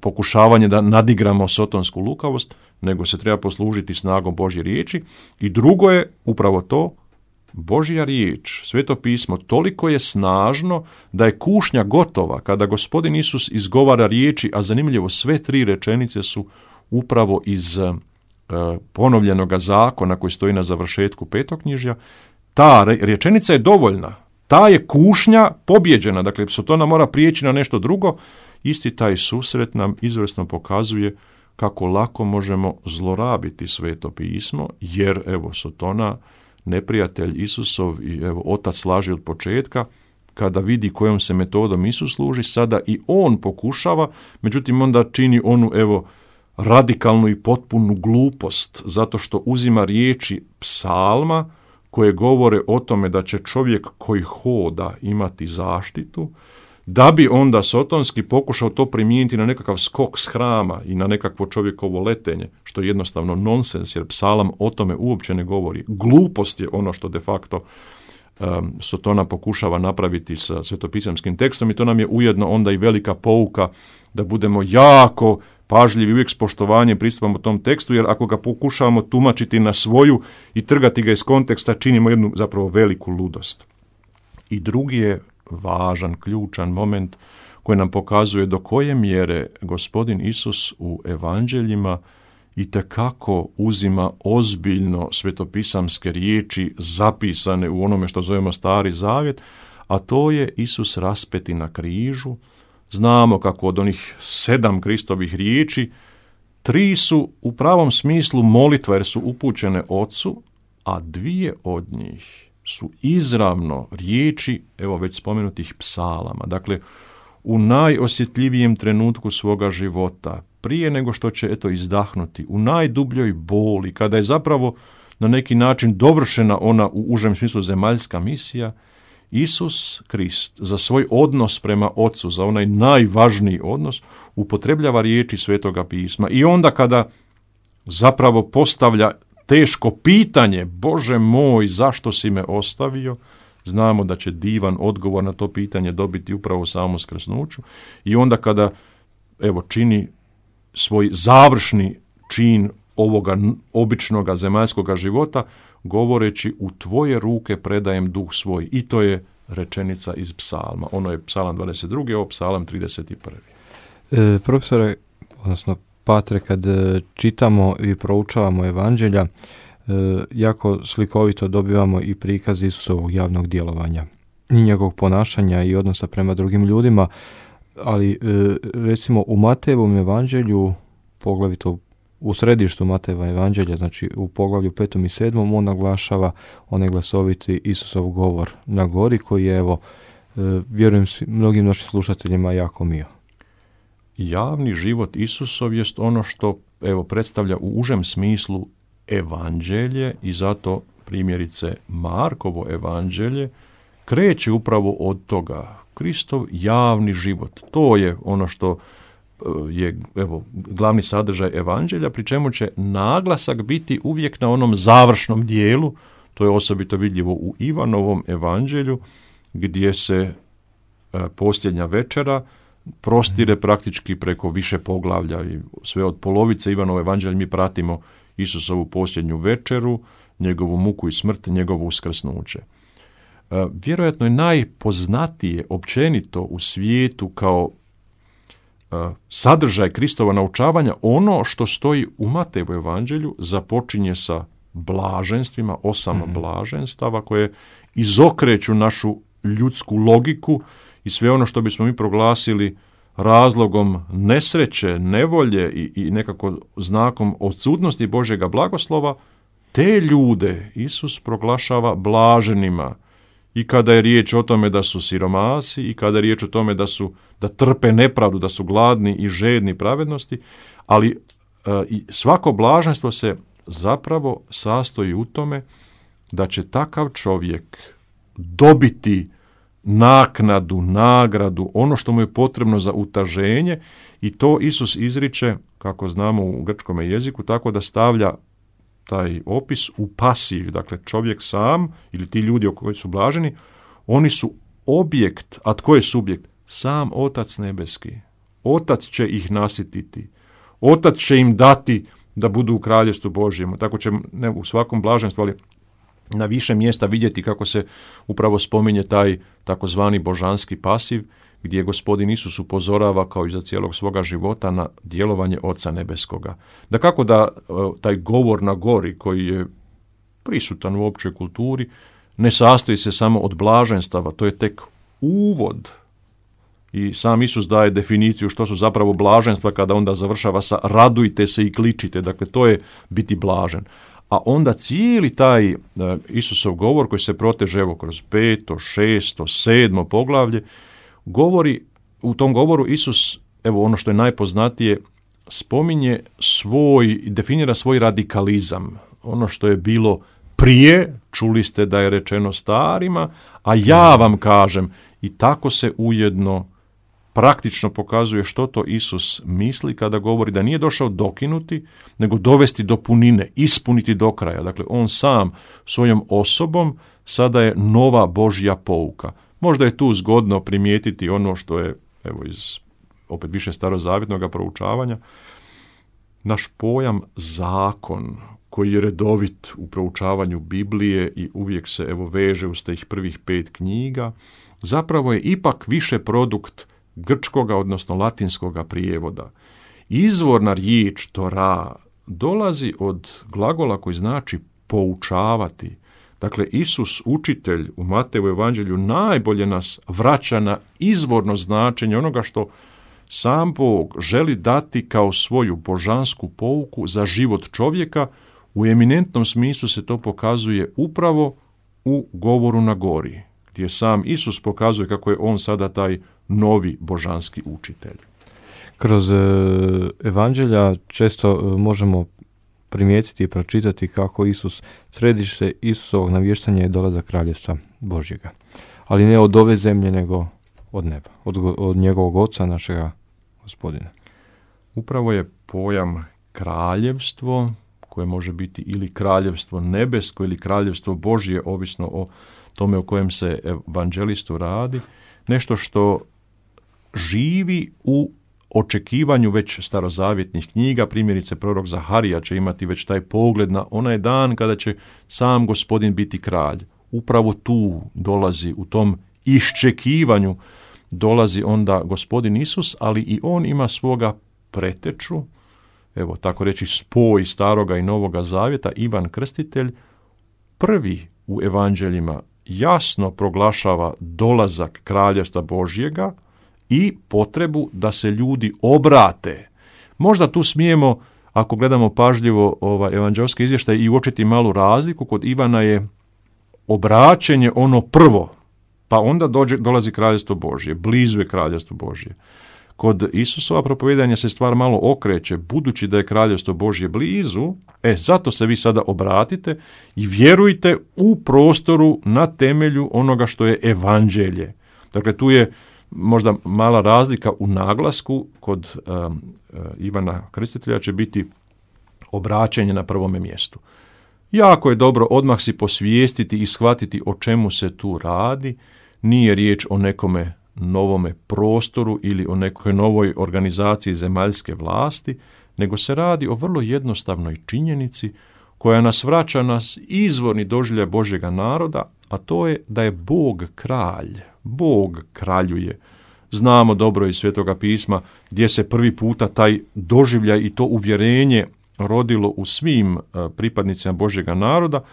pokušavanje da nadigramo sotonsku lukavost, nego se treba poslužiti snagom Božje riječi. I drugo je upravo to, Božja riječ, Sveto pismo, toliko je snažno da je kušnja gotova kada Gospodin Isus izgovara riječi, a zanimljivo sve 3 rečenice su upravo iz ponovljenoga zakona koji stoji na završetku petoknjižja. Ta rečenica je dovoljna, ta je kušnja pobjeđena, dakle Sotona mora prijeći na nešto drugo. Isti taj susret nam izvrsno pokazuje kako lako možemo zlorabiti Sveto pismo, jer Sotona, neprijatelj Isusov i otac laži od početka, kada vidi kojom se metodom Isus služi, sada i on pokušava, međutim onda čini onu, radikalnu i potpunu glupost, zato što uzima riječi psalma koje govore o tome da će čovjek koji hoda imati zaštitu, da bi onda sotonski pokušao to primijeniti na nekakav skok s hrama i na nekakvo čovjekovo letenje, što je jednostavno nonsens, jer psalam o tome uopće ne govori. Glupost je ono što de facto Sotona pokušava napraviti sa svetopisamskim tekstom i to nam je ujedno onda i velika pouka da budemo jako pažljivi, uvijek s poštovanjem pristupamo tom tekstu, jer ako ga pokušavamo tumačiti na svoju i trgati ga iz konteksta, činimo jednu zapravo veliku ludost. I drugi je važan, ključan moment koji nam pokazuje do koje mjere Gospodin Isus u evanđeljima itekako uzima ozbiljno svetopisamske riječi zapisane u onome što zovemo Stari Zavjet, a to je Isus raspeti na križu. Znamo kako od onih 7 Kristovih riječi 3 su u pravom smislu molitva jer su upućene Ocu, a 2 od njih su izravno riječi, već spomenutih psalama. Dakle, u najosjetljivijem trenutku svoga života, prije nego što će izdahnuti, u najdubljoj boli, kada je zapravo na neki način dovršena ona u užem smislu zemaljska misija, Isus Krist za svoj odnos prema Ocu, za onaj najvažniji odnos, upotrebljava riječi Svetoga pisma. I onda kada zapravo postavlja teško pitanje, Bože moj, zašto si me ostavio, znamo da će divan odgovor na to pitanje dobiti upravo u samom skrsnuću. I onda kada čini svoj završni čin ovoga običnoga zemaljskoga života, govoreći u tvoje ruke predajem duh svoj. I to je rečenica iz psalma. Ono je psalam 22. ovo psalam 31. Profesore, odnosno Patre, kad čitamo i proučavamo evanđelja, jako slikovito dobivamo i prikaz Isusovog javnog djelovanja i njegovog ponašanja i odnosa prema drugim ljudima, ali recimo u Matejevom evanđelju, poglavito u središtu Matejeva evanđelja, znači u poglavlju 5. i 7. on naglašava onaj glasoviti Isusov govor na gori koji je, vjerujem mnogim našim slušateljima jako mio. Javni život Isusov jest ono što predstavlja u užem smislu evanđelje i zato primjerice Markovo evanđelje kreće upravo od toga. Kristov javni život, to je ono što je glavni sadržaj evanđelja, pri čemu će naglasak biti uvijek na onom završnom dijelu, to je osobito vidljivo u Ivanovom evanđelju, gdje se posljednja večera prostire praktički preko više poglavlja i sve od polovice Ivanova evanđelja mi pratimo Isusovu posljednju večeru, njegovu muku i smrt, njegovo uskrsnuće. Vjerojatno je najpoznatije općenito u svijetu kao sadržaj Kristova naučavanja ono što stoji u Matejevu evanđelju, započinje sa blaženstvima, 8 blaženstava koje izokreću našu ljudsku logiku i sve ono što bismo mi proglasili razlogom nesreće, nevolje i nekako znakom odsutnosti Božjega blagoslova, te ljude Isus proglašava blaženima. I kada je riječ o tome da su siromasi, i kada je riječ o tome da trpe nepravdu, da su gladni i žedni pravednosti, ali svako blaženstvo se zapravo sastoji u tome da će takav čovjek dobiti naknadu, nagradu, ono što mu je potrebno za utaženje, i to Isus izriče, kako znamo u grčkom jeziku, tako da stavlja taj opis u pasiv, dakle čovjek sam ili ti ljudi koji su blaženi, oni su objekt, a tko je subjekt? Sam Otac nebeski. Otac će ih nasititi. Otac će im dati da budu u kraljevstvu Božjem. Tako će ne u svakom blaženstvu, ali na više mjesta vidjeti kako se upravo spominje taj takozvani božanski pasiv, gdje Gospodin Isus upozorava kao i za cijelog svoga života na djelovanje Oca nebeskoga. Dakako da taj govor na gori koji je prisutan u općoj kulturi ne sastoji se samo od blaženstava, to je tek uvod. I sam Isus daje definiciju što su zapravo blaženstva kada onda završava sa radujte se i kličite, dakle to je biti blažen. a onda cijeli taj Isusov govor koji se proteže evo kroz 5., 6., 7. poglavlje, govori, u tom govoru Isus, evo ono što je najpoznatije, spominje definira svoj radikalizam. Ono što je bilo prije, čuli ste da je rečeno starima, a ja vam kažem, i tako se ujedno praktično pokazuje što to Isus misli kada govori da nije došao dokinuti, nego dovesti do punine, ispuniti do kraja. Dakle, on sam svojom osobom sada je nova Božja pouka. Možda je tu zgodno primijetiti ono što je, evo iz opet više starozavjetnog proučavanja, naš pojam zakon, koji je redovit u proučavanju Biblije i uvijek se evo veže uz tih prvih 5 knjiga, zapravo je ipak više produkt grčkoga, odnosno latinskoga prijevoda. Izvorna riječ Tora dolazi od glagola koji znači poučavati. Dakle, Isus, učitelj u Mateju evanđelju, najbolje nas vraća na izvorno značenje onoga što sam Bog želi dati kao svoju božansku pouku za život čovjeka. U eminentnom smislu se to pokazuje upravo u govoru na gori, gdje sam Isus pokazuje kako je on sada taj novi božanski učitelj. Kroz evanđelja često možemo primijetiti i pročitati kako središte Isusovog navještanja je dolazak kraljevstva Božjega. Ali ne od ove zemlje, nego od neba, od njegovog oca, našega Gospodina. Upravo je pojam kraljevstvo, koje može biti ili kraljevstvo nebesko ili kraljevstvo Božje, ovisno o tome o kojem se evanđelistu radi, nešto što živi u očekivanju već starozavjetnih knjiga. Primjerice, prorok Zaharija će imati već taj pogled na onaj dan kada će sam Gospodin biti kralj. Upravo tu dolazi, u tom iščekivanju dolazi onda Gospodin Isus, ali i on ima svoga preteču, evo tako reći spoj staroga i novoga zavjeta, Ivan Krstitelj, prvi u evanđeljima jasno proglašava dolazak kraljevstva Božjega i potrebu da se ljudi obrate. Možda tu smijemo, ako gledamo pažljivo evanđelski izvještaj, i uočiti malu razliku. Kod Ivana je obraćenje ono prvo, pa onda dolazi kraljevstvo Božje, blizu je kraljevstvo Božje. Kod Isusova propovijedanja se stvar malo okreće, budući da je kraljevstvo Božje blizu, zato se vi sada obratite i vjerujte u prostoru na temelju onoga što je evanđelje. Dakle, tu je možda mala razlika u naglasku. Kod Ivana Krstitelja će biti obraćanje na prvome mjestu. Jako je dobro odmah si posvijestiti i shvatiti o čemu se tu radi. Nije riječ o nekome novome prostoru ili o nekoj novoj organizaciji zemaljske vlasti, nego se radi o vrlo jednostavnoj činjenici koja nas vraća na izvorni doživljaj Božjega naroda, a to je da je Bog kralj. Bog kraljuje. Znamo dobro iz Svetoga pisma gdje se prvi puta taj doživljaj i to uvjerenje rodilo u svim pripadnicima Božjega naroda,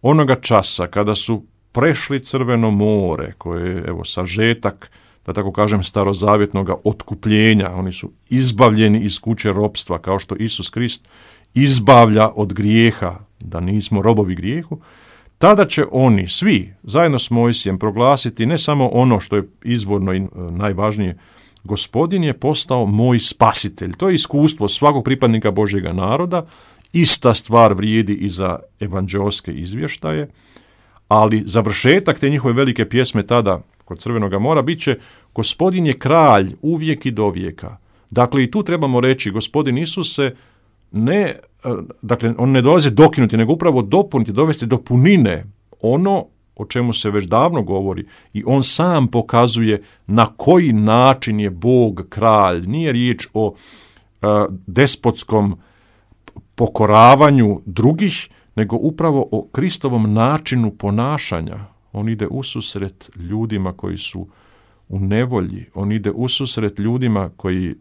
onoga časa kada su prešli Crveno more, koje je sažetak, da tako kažem, starozavjetnog otkupljenja. Oni su izbavljeni iz kuće ropstva, kao što Isus Krist izbavlja od grijeha, da nismo robovi grijehu. Tada će oni svi zajedno s Mojsijem proglasiti ne samo ono što je izvorno i najvažnije, Gospodin je postao moj spasitelj. To je iskustvo svakog pripadnika Božjega naroda. Ista stvar vrijedi i za evanđelske izvještaje, ali završetak te njihove velike pjesme tada kod Crvenoga mora bit će Gospodin je kralj uvijek i do vijeka. Dakle, i tu trebamo reći, Gospodin Isus se on ne dolazi dokinuti, nego upravo dopuniti, dovesti do punine ono o čemu se već davno govori, i on sam pokazuje na koji način je Bog kralj. Nije riječ o despotskom pokoravanju drugih, nego upravo o Kristovom načinu ponašanja. On ide ususret ljudima koji su u nevolji, on ide ususret ljudima koji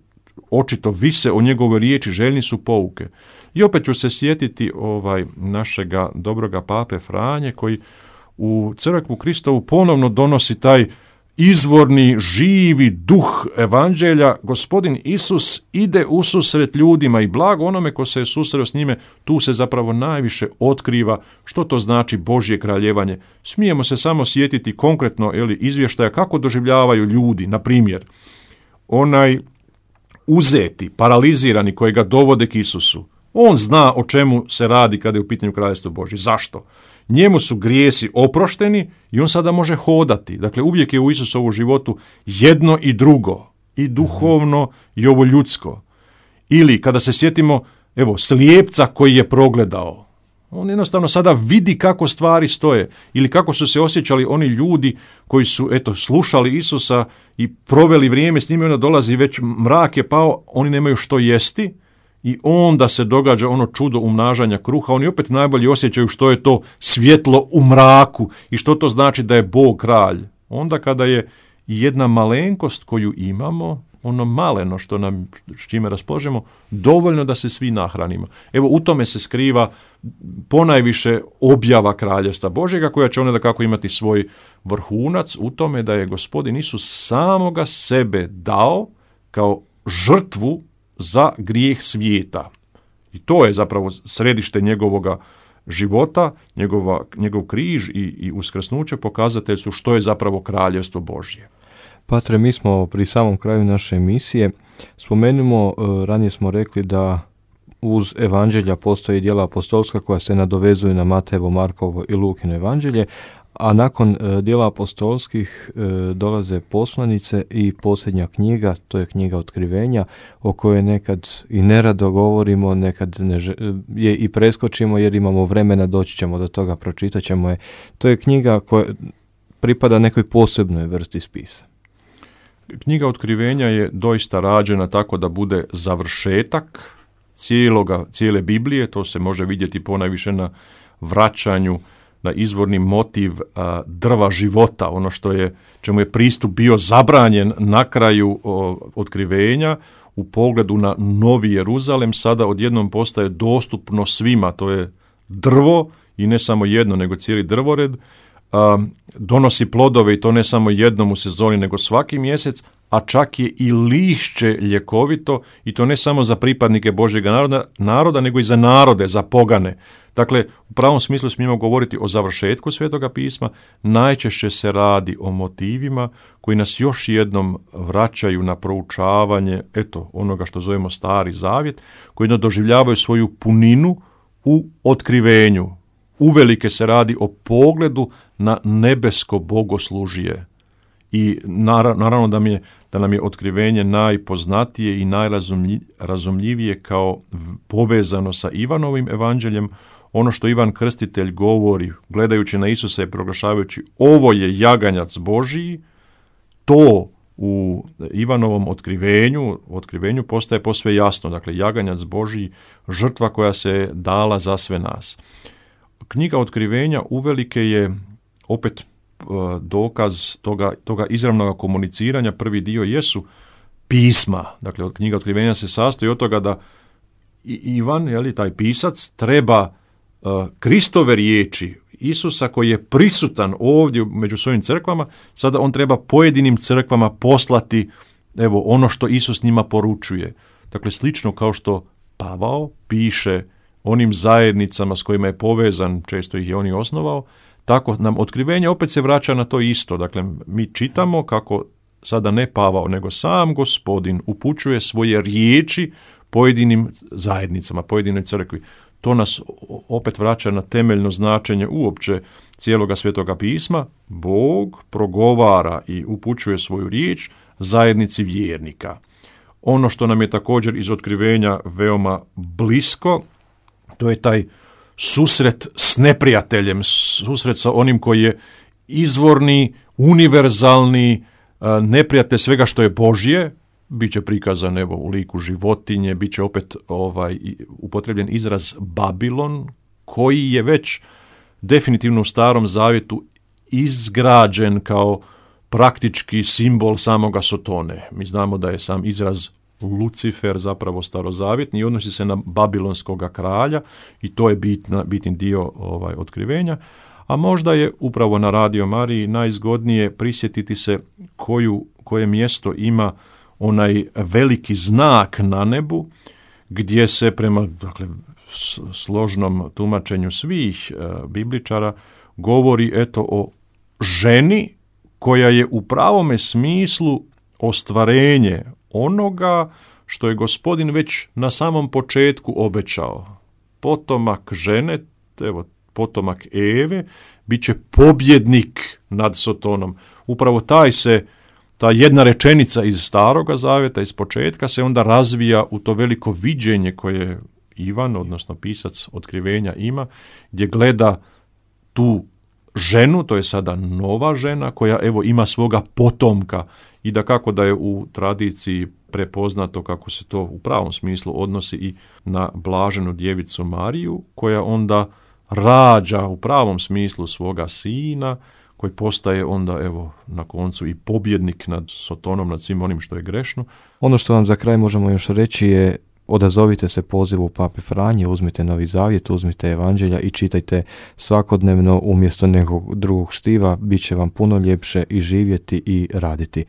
očito vise o njegovoj riječi, željni su pouke. I opet ću se sjetiti našega dobroga pape Franje, koji u crkvu Kristovu ponovno donosi taj izvorni, živi duh evanđelja, Gospodin Isus ide ususret ljudima i blago onome ko se je susreo s njime, tu se zapravo najviše otkriva što to znači Božje kraljevanje. Smijemo se samo sjetiti konkretno izvještaja kako doživljavaju ljudi, na primjer, onaj uzeti, paralizirani kojega dovode k Isusu. On zna o čemu se radi kada je u pitanju kraljevstva Božje. Zašto? Njemu su grijesi oprošteni i on sada može hodati. Dakle, uvijek je u Isusovu životu jedno i drugo, i duhovno i ovo ljudsko. Ili kada se sjetimo, slijepca koji je progledao. On jednostavno sada vidi kako stvari stoje ili kako su se osjećali oni ljudi koji su slušali Isusa i proveli vrijeme s njime, onda dolazi već mrak je pao, oni nemaju što jesti. I onda se događa ono čudo umnažanja kruha. Oni opet najbolje osjećaju što je to svjetlo u mraku i što to znači da je Bog kralj. Onda kada je jedna malenkost koju imamo, ono maleno što nam, s čime raspolažemo, dovoljno da se svi nahranimo. U tome se skriva ponajviše objava kraljevstva Božjega, koja će onda dakako imati svoj vrhunac u tome da je Gospodin Isus samoga sebe dao kao žrtvu za grijeh svijeta. I to je zapravo središte njegovoga života, njegov križ i uskrsnuće pokazatelj su što je zapravo kraljevstvo Božje. Patre, mi smo pri samom kraju naše emisije. Spomenimo, ranije smo rekli da uz evanđelja postoji djela apostolska koja se nadovezuju na Matejevo, Markovo i Lukino evanđelje, a nakon djela apostolskih dolaze poslanice i posljednja knjiga, to je knjiga Otkrivenja, o kojoj nekad i nerado govorimo, nekad je i preskočimo jer imamo vremena, doći ćemo do toga, pročitat ćemo je. To je knjiga koja pripada nekoj posebnoj vrsti spisa. Knjiga Otkrivenja je doista rađena tako da bude završetak cijele Biblije, to se može vidjeti ponajviše na vraćanju na izvorni motiv drva života, ono čemu je pristup bio zabranjen na kraju Otkrivenja, u pogledu na Novi Jeruzalem, sada odjednom postaje dostupno svima, to je drvo i ne samo jedno, nego cijeli drvored, donosi plodove i to ne samo jednom u sezoni, nego svaki mjesec, a čak je i lišće ljekovito i to ne samo za pripadnike Božjega naroda, nego i za narode, za pogane. Dakle, u pravom smislu smijemo govoriti o završetku Svetoga pisma, najčešće se radi o motivima koji nas još jednom vraćaju na proučavanje onoga što zovemo Stari Zavjet, koji doživljavaju svoju puninu u otkrivenju. Uvelike se radi o pogledu na nebesko bogoslužje. I naravno da nam je otkrivenje najpoznatije i najrazumljivije kao povezano sa Ivanovim evanđeljem, ono što Ivan Krstitelj govori, gledajući na Isusa i proglašavajući ovo je jaganjac Božiji, to u Ivanovom otkrivenju postaje posve jasno. Dakle, jaganjac Božiji, žrtva koja se dala za sve nas. Knjiga Otkrivenja uvelike je opet dokaz toga izravnog komuniciranja. Prvi dio jesu pisma. Dakle, knjiga Otkrivenja se sastoji od toga da Ivan, taj pisac, treba Kristove riječi Isusa koji je prisutan ovdje među svojim crkvama, sada on treba pojedinim crkvama poslati ono što Isus njima poručuje. Dakle, slično kao što Pavao piše onim zajednicama s kojima je povezan, često ih je on i osnovao, tako nam otkrivenje opet se vraća na to isto. Dakle, mi čitamo kako sada ne Pavao, nego sam Gospodin upućuje svoje riječi pojedinim zajednicama, pojedinoj crkvi. To nas opet vraća na temeljno značenje uopće cijeloga Svetoga pisma. Bog progovara i upućuje svoju riječ zajednici vjernika. Ono što nam je također iz otkrivenja veoma blisko, to je taj susret s neprijateljem, susret sa onim koji je izvorni, univerzalni neprijatelj svega što je Božje. Biće prikazan u liku životinje, biće opet upotrebljen izraz Babilon, koji je već definitivno u Starom Zavjetu izgrađen kao praktički simbol samoga Sotone. Mi znamo da je sam izraz Lucifer zapravo starozavjetni i odnosi se na babilonskoga kralja i to je bitni dio otkrivenja. a možda je upravo na Radio Mariji najzgodnije prisjetiti se koje mjesto ima onaj veliki znak na nebu, gdje se prema složnom tumačenju svih bibličara govori o ženi koja je u pravome smislu ostvarenje onoga što je Gospodin već na samom početku obećao. Potomak žene, potomak Eve, bit će pobjednik nad Sotonom. Upravo ta jedna rečenica iz Staroga zavjeta, iz početka, se onda razvija u to veliko viđenje koje Ivan, odnosno pisac Otkrivenja, ima, gdje gleda tu ženu, to je sada nova žena, koja ima svoga potomka, i dakako da je u tradiciji prepoznato kako se to u pravom smislu odnosi i na blaženu djevicu Mariju, koja onda rađa u pravom smislu svoga sina, koji postaje onda na koncu i pobjednik nad Sotonom, nad svim onim što je grešno. Ono što vam za kraj možemo još reći je: odazovite se pozivu Pape Franje, uzmite Novi Zavjet, uzmite Evanđelja i čitajte svakodnevno umjesto nekog drugog štiva, bit će vam puno ljepše i živjeti i raditi.